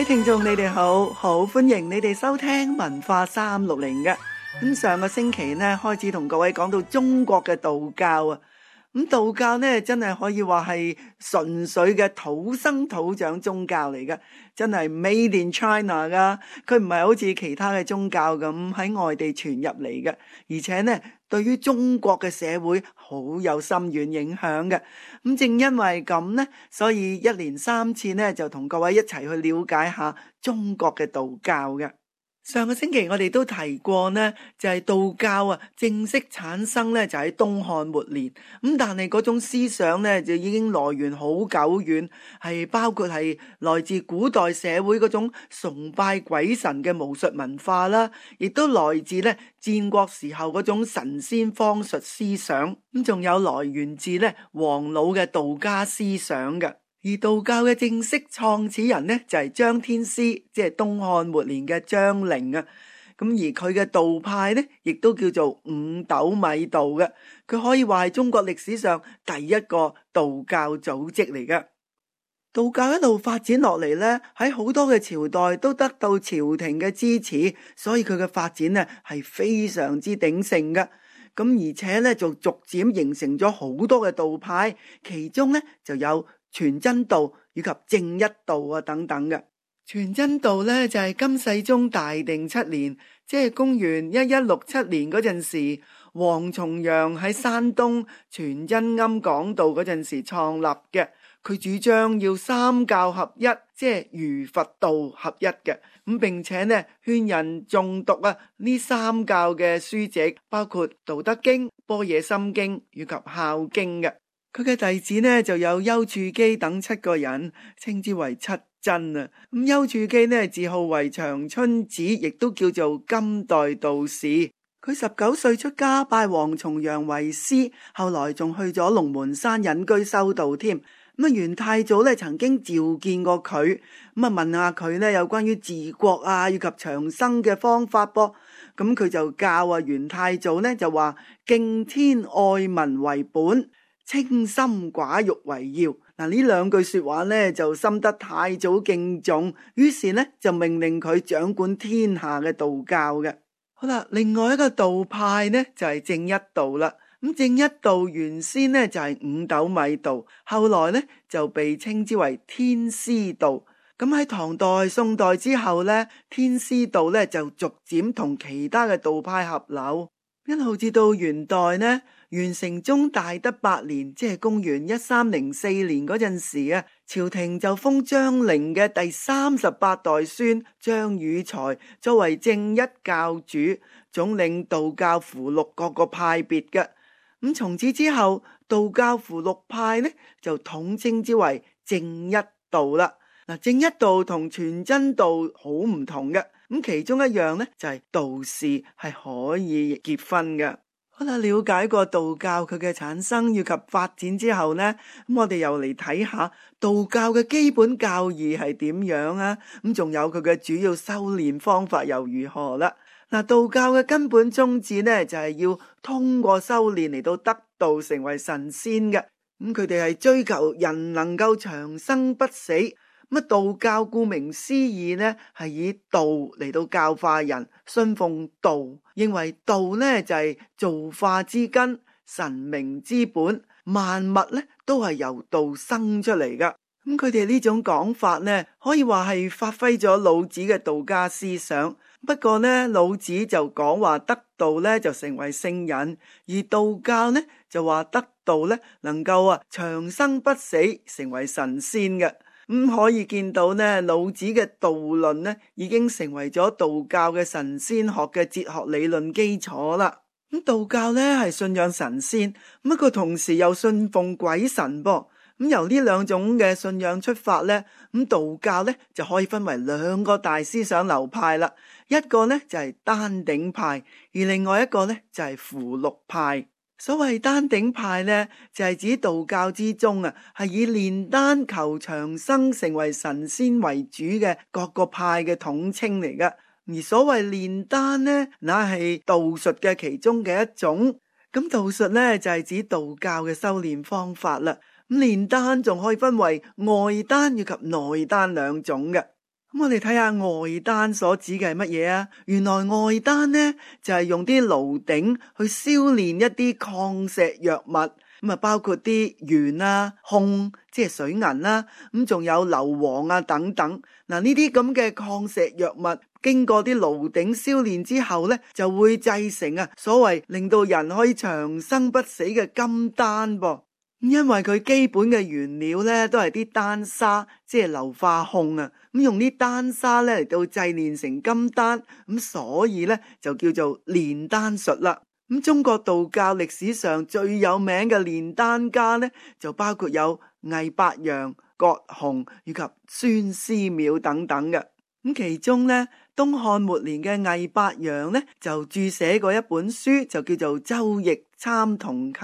位聽眾你哋好，好歡迎你哋收聽文化360嘅。咁上個星期呢開始同各位講到中國嘅道教啊，咁道教呢真係可以話係純粹嘅土生土長宗教嚟嘅，真係 Made in China 噶，佢唔係好似其他嘅宗教咁喺外地傳入嚟嘅，而且呢對於中國嘅社會好有深遠影響嘅。咁正因為咁呢，所以一連3次呢就同各位一齊去了解下中國嘅道教嘅。上個星期我哋都提過呢，就係道教啊正式產生呢就喺東漢末年，咁但係嗰種思想呢就已經來源好久遠，係包括係來自古代社會嗰種崇拜鬼神嘅巫術文化啦，亦都來自呢戰國時候嗰種神仙方術思想，咁仲有來源自呢黃老嘅道家思想嘅。而道教嘅正式創始人呢，就係張天師，即係東漢末年嘅張陵啊。咁而佢嘅道派呢，亦都叫做五斗米道嘅。佢可以話係中國歷史上第一個道教組織嚟嘅。道教一路發展落嚟呢，喺好多嘅朝代都得到朝廷嘅支持，所以佢嘅發展呢係非常之鼎盛嘅。咁而且呢，就逐漸形成咗好多嘅道派，其中呢就有全真道以及正一道啊等等嘅。全真道呢，就係金世宗大定7年，即係公元1167年嗰陣時，王重陽喺山東全真庵講道嗰陣時創立嘅。佢主張要三教合一，即係儒佛道合一嘅。咁並且呢勸人誦讀啊呢三教嘅書籍，包括《道德經》、《般若心經》以及《孝經》嘅。佢嘅弟子呢就有丘處機等7個人，稱之為7真啊。咁丘處機呢自號為長春子，亦都叫做金代道士。佢19歲出家，拜王重陽為師，後來仲去咗龍門山隱居修道添。咁元太祖咧曾經召見過佢，咁問下佢咧有關於治國啊以及長生嘅方法噃。咁佢就教元太祖咧就話敬天愛民為本，清心寡欲為要。嗱，呢2句說話咧就深得太祖敬重，於是咧就命令佢掌管天下嘅道教嘅。好啦，另外一個道派呢就係正一道啦。咁正一道原先呢就係五斗米道，後來呢就被稱之為天師道。咁喺唐代、宋代之後呢，天師道呢就逐漸同其他嘅道派合流，一路至到元代呢，元成宗大德8年，即係公元1304年嗰陣時啊，朝廷就封張陵嘅第38代孫張宇才作為正一教主，總領道教符籙各個派別嘅。咁從此之後，道教符籙派呢就統稱之為正一道啦。嗱，正一道同全真道好唔同嘅，咁其中一樣呢就係道士係可以結婚嘅。好啦，了解過道教佢嘅產生以及發展之後呢，咁我哋又嚟睇下道教嘅基本教義係點樣啊？咁仲有佢嘅主要修煉方法又如何啦？嗱，道教嘅根本宗旨呢，就係要通過修煉嚟到得道成為神仙嘅。咁佢哋係追求人能夠長生不死。咁道教顧名思義呢，係以道嚟到教化人，信奉道，認為道呢就係造化之根、神明之本，萬物呢都係由道生出嚟噶。咁佢哋呢種講法呢，可以話係發揮咗老子嘅道家思想。不過呢，老子就講話得道呢就成為聖人，而道教呢就話得道呢能夠長生不死，成為神仙嘅。可以見到呢，老子嘅道論呢已經成為咗道教嘅神仙學嘅哲學理論基礎啦。咁道教呢係信仰神仙，不過同時又信奉鬼神噃。咁由呢2種嘅信仰出發呢，咁道教呢就可以分為2個大思想流派啦。一個呢就係丹鼎派，而另外一個呢就係符籙派。所謂丹鼎派呢，就係指道教之中係以煉丹求長生成為神仙為主嘅各個派嘅統稱嚟噶。而所謂煉丹呢，那係道術嘅其中嘅一種。咁道術呢，就係指道教嘅修煉方法啦。咁煉丹仲可以分為外丹以及內丹2種嘅。咁我哋睇下外丹所指嘅係乜嘢啊？原來外丹呢就係用啲爐鼎去燒煉一啲礦石藥物，咁啊包括啲鉛啊、汞即係水銀啦，咁仲有硫磺啊等等。嗱，呢啲咁嘅礦石藥物經過啲爐鼎燒煉之後呢，就會製成啊所謂令到人可以長生不死嘅金丹噃。因為佢基本嘅原料咧都係啲丹砂，即係硫化汞啊，咁用啲丹砂咧嚟到製煉成金丹，咁所以咧就叫做煉丹術啦。咁中國道教歷史上最有名嘅煉丹家咧，就包括有魏伯陽、葛洪以及孫思邈等等嘅。咁其中咧，東漢末年嘅魏伯陽咧就注寫過一本書，就叫做《周易參同契》。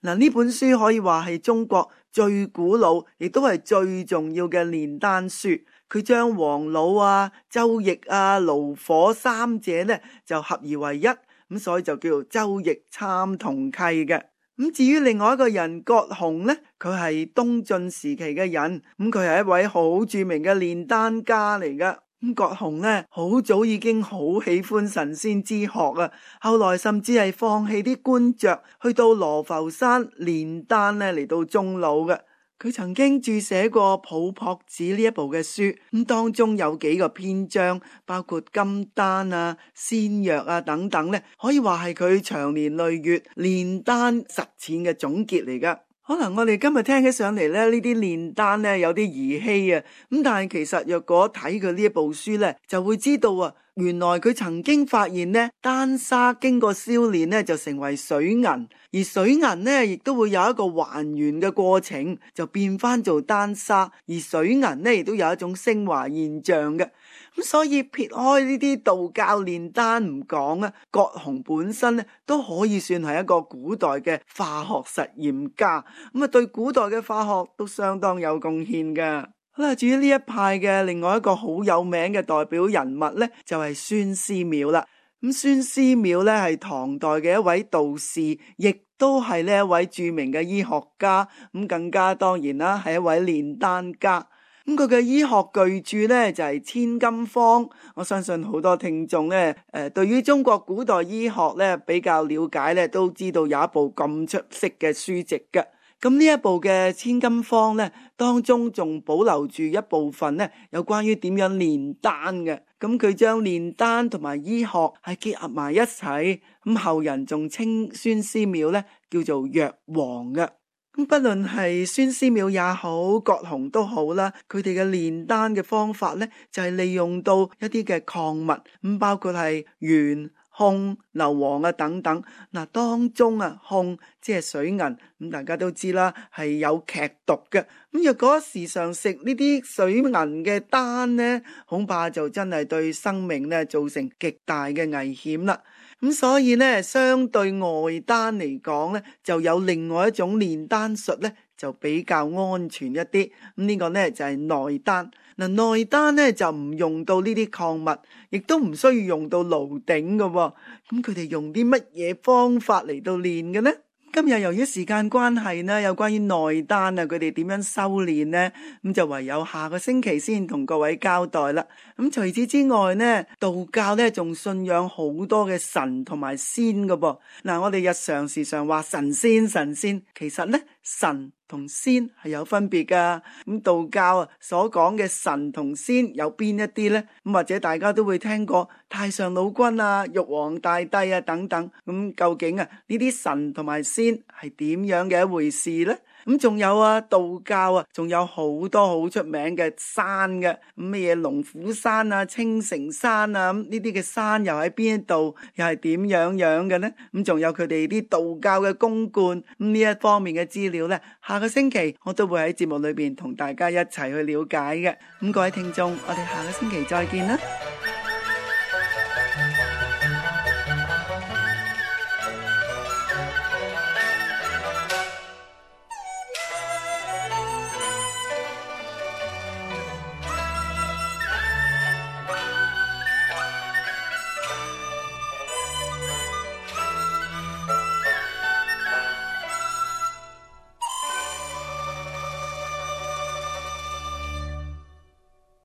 嗱，呢本書可以話係中國最古老，亦都係最重要嘅煉丹書。佢將黃老啊、周易啊、爐火三者咧就合而為一，咁所以就叫做周易參同契嘅。咁至於另外一個人葛洪咧，佢係東晉時期嘅人，咁佢係一位好著名嘅煉丹家嚟噶。咁葛洪咧好早已經好喜歡神仙之學啊，後來甚至係放棄啲官爵，去到羅浮山煉丹咧嚟到終老嘅。佢曾經注寫過《抱樸子》呢一部嘅書，咁當中有幾個篇章，包括金丹啊、仙藥啊等等咧，可以話係佢長年累月煉丹實踐嘅總結嚟噶。可能我哋今日聽起上嚟咧，呢啲煉丹咧有啲兒戲啊，咁但係其實若果睇佢呢一部書咧，就會知道啊，原來佢曾經發現咧，丹砂經過燒煉咧就成為水銀，而水銀咧亦都會有一個還原嘅過程，就變翻做丹砂，而水銀咧亦都有一種升華現象嘅。咁所以撇開呢啲道教煉丹唔講啊，葛洪本身咧都可以算係一個古代嘅化學實驗家，咁啊對古代嘅化學都相當有貢獻噶。好啦，至於呢一派嘅另外一個好有名嘅代表人物咧，就係孫思邈啦。咁孫思邈咧係唐代嘅一位道士，亦都係呢一位著名嘅醫學家，咁更加當然啦係一位煉丹家。咁佢嘅醫學巨著咧就係《千金方》，我相信好多聽眾咧對於中國古代醫學咧比較了解咧，都知道有一部咁出色嘅書籍嘅。咁呢一部嘅《千金方》咧，當中仲保留住一部分咧，有關於點樣煉丹嘅。咁佢將煉丹同埋醫學係結合埋一齊，咁後人仲稱孫思邈咧叫做藥王嘅。咁不論係孫思邈也好，葛洪都好啦，佢哋嘅煉丹嘅方法咧，就係利用到一啲嘅礦物，咁包括係鉛、汞、硫磺啊等等。嗱，當中啊汞即係水銀，咁大家都知啦，係有劇毒嘅。咁若果時常食呢啲水銀嘅丹咧，恐怕就真係對生命咧造成極大嘅危險啦。咁所以咧，相對外丹嚟講咧，就有另外一種煉丹術咧，就比較安全一啲。咁呢個咧就係內丹。嗱，內丹咧就唔用到呢啲礦物，亦都唔需要用到爐鼎嘅。咁佢哋用啲乜嘢方法嚟到煉嘅呢？今日由於時間關係呢，有關於內丹啊，佢哋點樣修煉呢？咁就唯有下個星期先同各位交代啦。咁除此之外呢，道教呢仲信仰好多嘅神同埋仙㗎噃。嗱，我哋日常時常話神仙，其實呢神同仙係有分別噶。咁道教啊所講嘅神同仙有邊一啲呢？咁或者大家都會聽過太上老君啊、玉皇大帝啊等等。咁究竟啊呢啲神同埋仙係點樣嘅一回事呢？咁仲有啊，道教啊，仲有好多好出名嘅山嘅，咁乜嘢龍虎山啊、青城山啊，咁呢啲嘅山又喺邊一度，又係點樣樣嘅呢？咁仲有佢哋啲道教嘅宮觀，咁呢一方面嘅資料呢，下個星期我都會喺節目裏邊同大家一齊去了解嘅。咁各位聽眾，我哋下個星期再見啦。